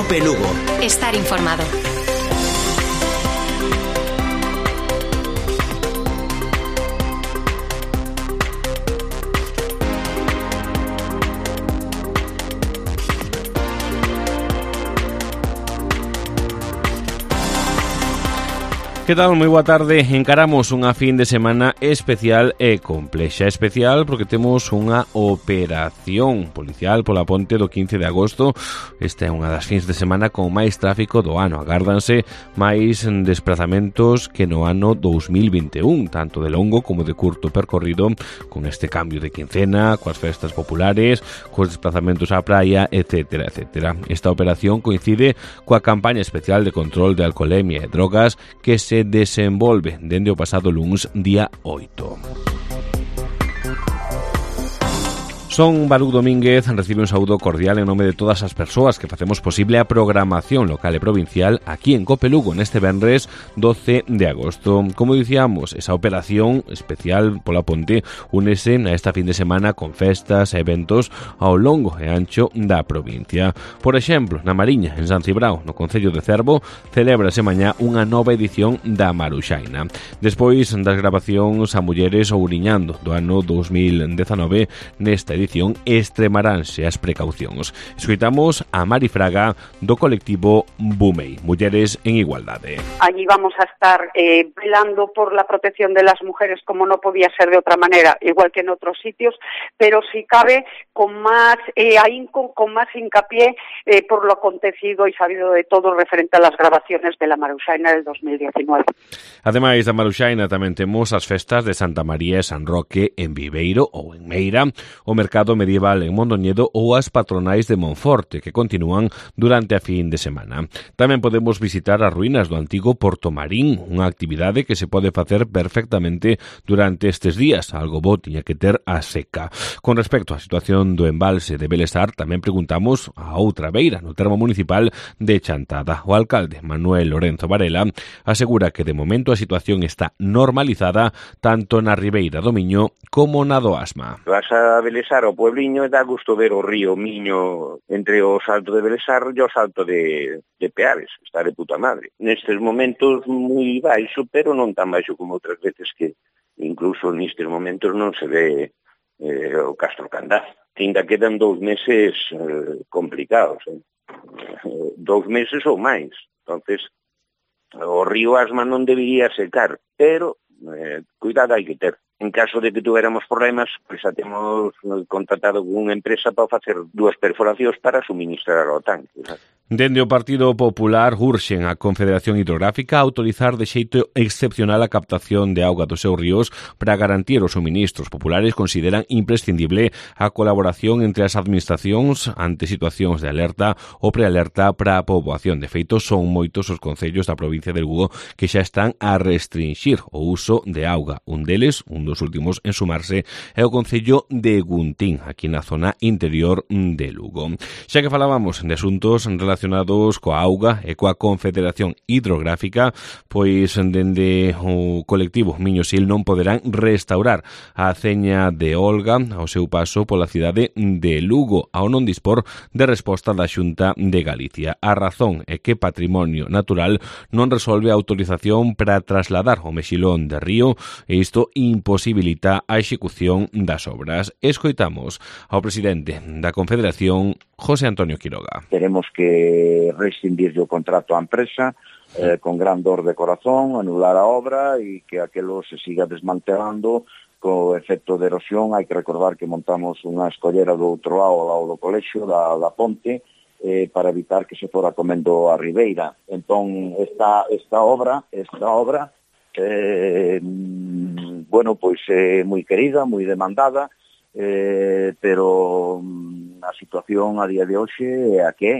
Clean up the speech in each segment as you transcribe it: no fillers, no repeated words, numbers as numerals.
COPE Lugo. Estar informado. Que tal? Moi boa tarde. Encaramos unha fin de semana especial e complexa. Especial porque temos unha operación policial pola ponte do 15 de agosto. Esta é unha das fins de semana con máis tráfico do ano. Agárdanse máis desplazamentos que no ano 2021, tanto de longo como de curto percorrido, con este cambio de quincena, coas festas populares, cos desplazamentos á praia, etcétera, etcétera. Esta operación coincide coa campaña especial de control de alcoholemia e drogas que se desenvolve dende o pasado luns día 8. Son Baruc Domínguez, recibe un saúdo cordial en nome de todas as persoas que facemos posible a programación local e provincial aquí en COPE Lugo neste venres 12 de agosto. Como dicíamos, esa operación especial pola ponte únese a esta fin de semana con festas e eventos ao longo e ancho da provincia. Por exemplo, na Mariña, en San Cibrao, no concello de Cervo, celébrase mañá unha nova edición da Maruxaina. Despois das grabacións a mulleres ouriñando do ano 2019, nesta edición extremaranse as precaucións. Escoitamos a Mari Fraga do colectivo Bumei, Mulleres en Igualdade. Allí vamos a estar velando por la protección de las mujeres como no podía ser de otra manera, igual que en otros sitios, pero si cabe con más ahínco, con más hincapié por lo acontecido y sabido de todo referente a las grabaciones de la Maruxaina del 2019. Ademais da Maruxaina tamén temos as festas de Santa María e San Roque en Viveiro ou en Meira, o mercado medieval en Mondoñedo ou as patronais de Monforte, que continúan durante a fin de semana. Tamén podemos visitar as ruínas do antigo Porto Marín, unha actividade que se pode facer perfectamente durante estes días, algo bo tiña que ter a seca. Con respecto á situación do embalse de Belesar, tamén preguntamos a outra beira, no termo municipal de Chantada. O alcalde, Manuel Lorenzo Varela, asegura que de momento a situación está normalizada tanto na Ribeira do Miño como na do Asma. Vas a Belesar ao puebliño e dá gusto ver o río Miño entre o salto de Belesar e o salto de Peares, está de puta madre. Nestes momentos moi baixo, pero non tan baixo como outras veces que incluso nestes momentos non se ve o Castro Candás. Ainda quedan 2 meses complicados, 2 meses ou máis. Entonces, o río Asma non debería secar, pero cuidado hai que ter. En caso de que tuviéramos problemas, pues xa temos contratado con unha empresa para facer 2 perforacións para suministrar ao tanque. Dende o Partido Popular urxen a Confederación Hidrográfica a autorizar de xeito excepcional a captación de auga dos seus ríos para garantir os suministros. Populares consideran imprescindible a colaboración entre as administracións ante situacións de alerta ou prealerta para a poboación. De feito, son moitos os concellos da provincia de Lugo que xa están a restringir o uso de auga. Un deles, un dos últimos en sumarse, é o concello de Guntín, aquí na zona interior de Lugo. Xa que falábamos de asuntos relacionados coa auga e coa Confederación Hidrográfica, pois dende o colectivo Miñosil non poderán restaurar a aceña de Olga ao seu paso pola cidade de Lugo, ao non dispor de resposta da Xunta de Galicia. A razón é que Patrimonio Natural non resolve a autorización para trasladar o mexilón de río e isto imposibilita a execución das obras. Escoitamos ao presidente da Confederación, José Antonio Quiroga. Tenemos que rescindir o contrato á empresa con gran dor de corazón, anular a obra e que aquelo se siga desmantelando co efecto de erosión. Hai que recordar que montamos unha escollera do outro lado, ao lado do colexio, da ponte, para evitar que se fora comendo a ribeira. Entón, esta obra bueno, pois é moi querida, moi demandada, pero a situación a día de hoxe é a que é.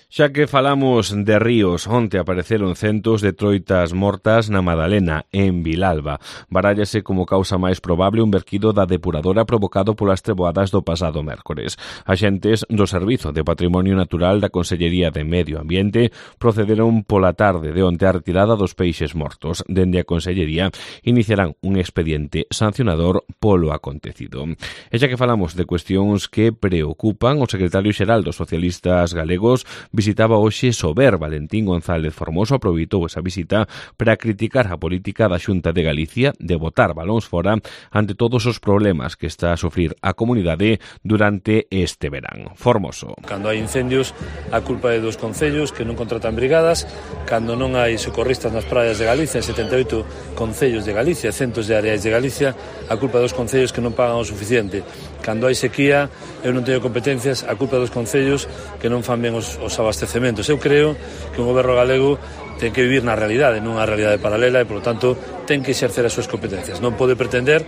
Xa que falamos de ríos, onte apareceron centos de troitas mortas na Madalena, en Vilalba. Barállase como causa máis probable un verquido da depuradora provocado polas treboadas do pasado mércores. Axentes do Servizo de Patrimonio Natural da Consellería de Medio Ambiente procederon pola tarde de onte a retirada dos peixes mortos. Dende a Consellería iniciarán un expediente sancionador polo acontecido. E xa que falamos de cuestións que preocupan, o secretario xeral dos socialistas galegos, visitaba hoxe Sober. Valentín González Formoso aproveitou esa visita para criticar a política da Xunta de Galicia de botar balóns fora ante todos os problemas que está a sufrir a comunidade durante este verán. Formoso. Cando hai incendios, a culpa é dos concellos que non contratan brigadas, cando non hai socorristas nas praias de Galicia, en 78 concellos de Galicia, centos de áreas de Galicia, a culpa dos concellos que non pagan o suficiente. Cando hai sequía, eu non teño competencias, a culpa dos concellos que non fan ben os abastecementos. Eu creo que un goberno galego ten que vivir na realidade, non unha realidade paralela, e, polo tanto, ten que exercer as súas competencias. Non pode pretender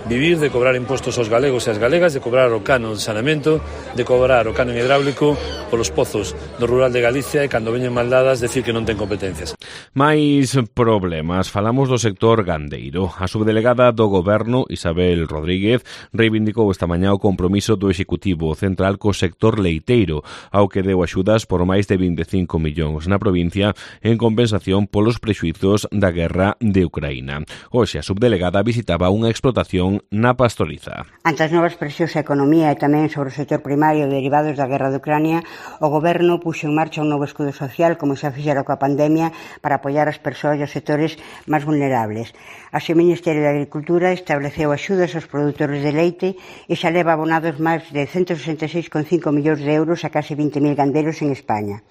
vivir de cobrar impostos aos galegos e ás galegas, de cobrar o canon de saneamento, de cobrar o canon hidráulico polos pozos do rural de Galicia e, cando veñen maldadas, decir que non ten competencias. Mais problemas. Falamos do sector gandeiro. A subdelegada do Goberno, Isabel Rodríguez, reivindicou esta mañá o compromiso do Executivo Central co sector leiteiro, ao que deu axudas por máis de 25 millóns na provincia en compensación polos prexuizos da guerra de Ucraína. Hoxe a subdelegada visitaba unha explotación na Pastoriza. Ante as novas presións á economía e tamén sobre o sector primario derivados da guerra de Ucrania, o Goberno puxo en marcha un novo escudo social, como xa fixera coa pandemia, para apoiar as persoas e os sectores máis vulnerables. Así, o Ministerio de Agricultura estableceu axudas aos produtores de leite e xa leva abonados máis de 166,5 millóns de euros a case 20.000 gandeiros en España.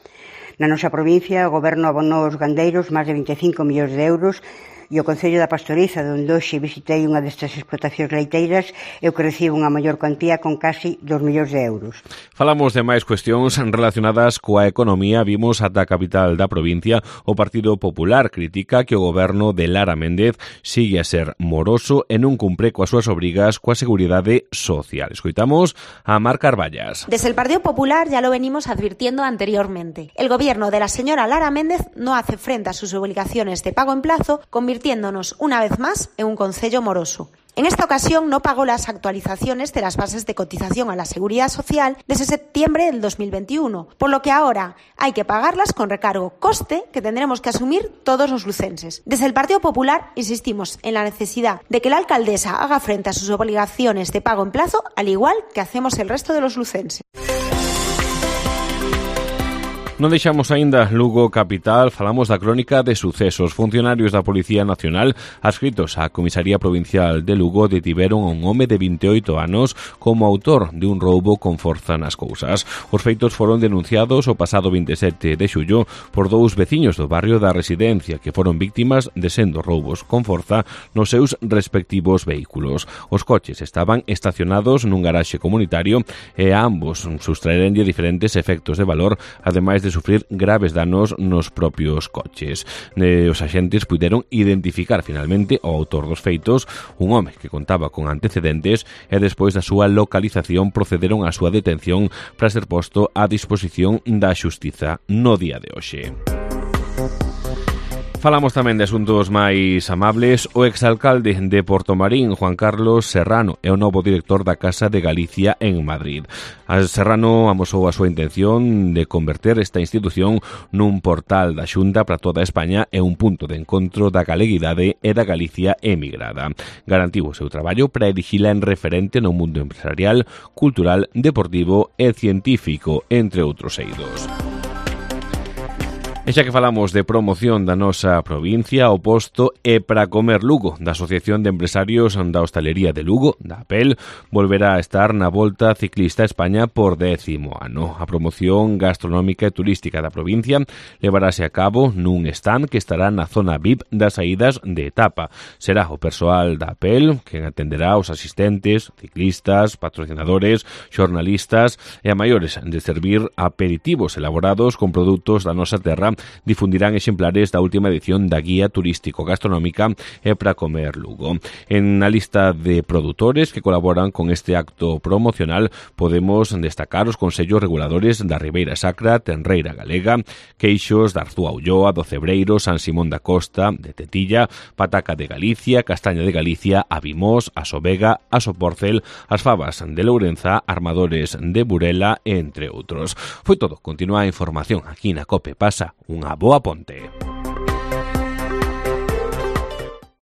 Na nosa provincia, o Goberno abonou aos gandeiros máis de 25 millóns de euros e o Concello da Pastoriza, onde hoxe visitei unha destas explotacións leiteiras, eu que recibo unha maior cuantía con casi 2 millóns de euros. Falamos de máis cuestións relacionadas coa economía. Vimos ata a capital da provincia. O Partido Popular critica que o goberno de Lara Méndez sigue a ser moroso e non cumpre coas súas obrigas coa seguridade social. Escoitamos a Mar Carballas. Desde el Partido Popular ya lo venimos advirtiendo anteriormente. El gobierno de la señora Lara Méndez no hace frente a sus obligaciones de pago en plazo, convirtiéndonos una vez más en un concello moroso. En esta ocasión no pagó las actualizaciones de las bases de cotización a la Seguridad Social desde septiembre del 2021, por lo que ahora hay que pagarlas con recargo, coste que tendremos que asumir todos los lucenses. Desde el Partido Popular insistimos en la necesidad de que la alcaldesa haga frente a sus obligaciones de pago en plazo, al igual que hacemos el resto de los lucenses. Non deixamos aínda Lugo capital, falamos da crónica de sucesos. Funcionarios da Policía Nacional adscritos á Comisaría Provincial de Lugo detiveron a un home de 28 anos como autor de un roubo con forza nas cousas. Os feitos foron denunciados o pasado 27 de xullo por dous veciños do barrio da Residencia que foron víctimas de sendos roubos con forza nos seus respectivos vehículos. Os coches estaban estacionados nun garaxe comunitario e a ambos sustraerenlle diferentes efectos de valor, ademais de sufrir graves danos nos propios coches. Os axentes puderon identificar finalmente o autor dos feitos, un home que contaba con antecedentes, e despois da súa localización procederon á súa detención para ser posto á disposición da xustiza no día de hoxe. Falamos tamén de asuntos máis amables. O exalcalde de Portomarín, Juan Carlos Serrano, é o novo director da Casa de Galicia en Madrid. Serrano amosou a súa intención de converter esta institución nun portal da Xunta para toda España e un punto de encontro da galeguidade e da Galicia emigrada. Garantiu o seu traballo para erixila en referente no mundo empresarial, cultural, deportivo e científico, entre outros eidos. E xa que falamos de promoción da nosa provincia, o posto é para comer Lugo, da Asociación de Empresarios da Hostalería de Lugo, da APEL, volverá a estar na Volta Ciclista a España por 10º ano. A promoción gastronómica e turística da provincia levarase a cabo nun stand que estará na zona VIP das saídas de etapa. Será o persoal da APEL quen atenderá os asistentes, ciclistas, patrocinadores, xornalistas e a maiores de servir aperitivos elaborados con produtos da nosa terra. Difundirán exemplares da última edición da Guía Turístico-Gastronómica e para comer Lugo. En a lista de produtores que colaboran con este acto promocional podemos destacar os consellos reguladores da Ribeira Sacra, Tenreira Galega, Queixos, da Arzúa Ulloa, do Cebreiro, San Simón da Costa, de Tetilla, Pataca de Galicia, Castaña de Galicia, Avimós, Asobega, Asoporcel, as Favas de Lourenza, Armadores de Burela, entre outros. Foi todo. Continúa a información aquí na COPE. Pasa unha boa ponte.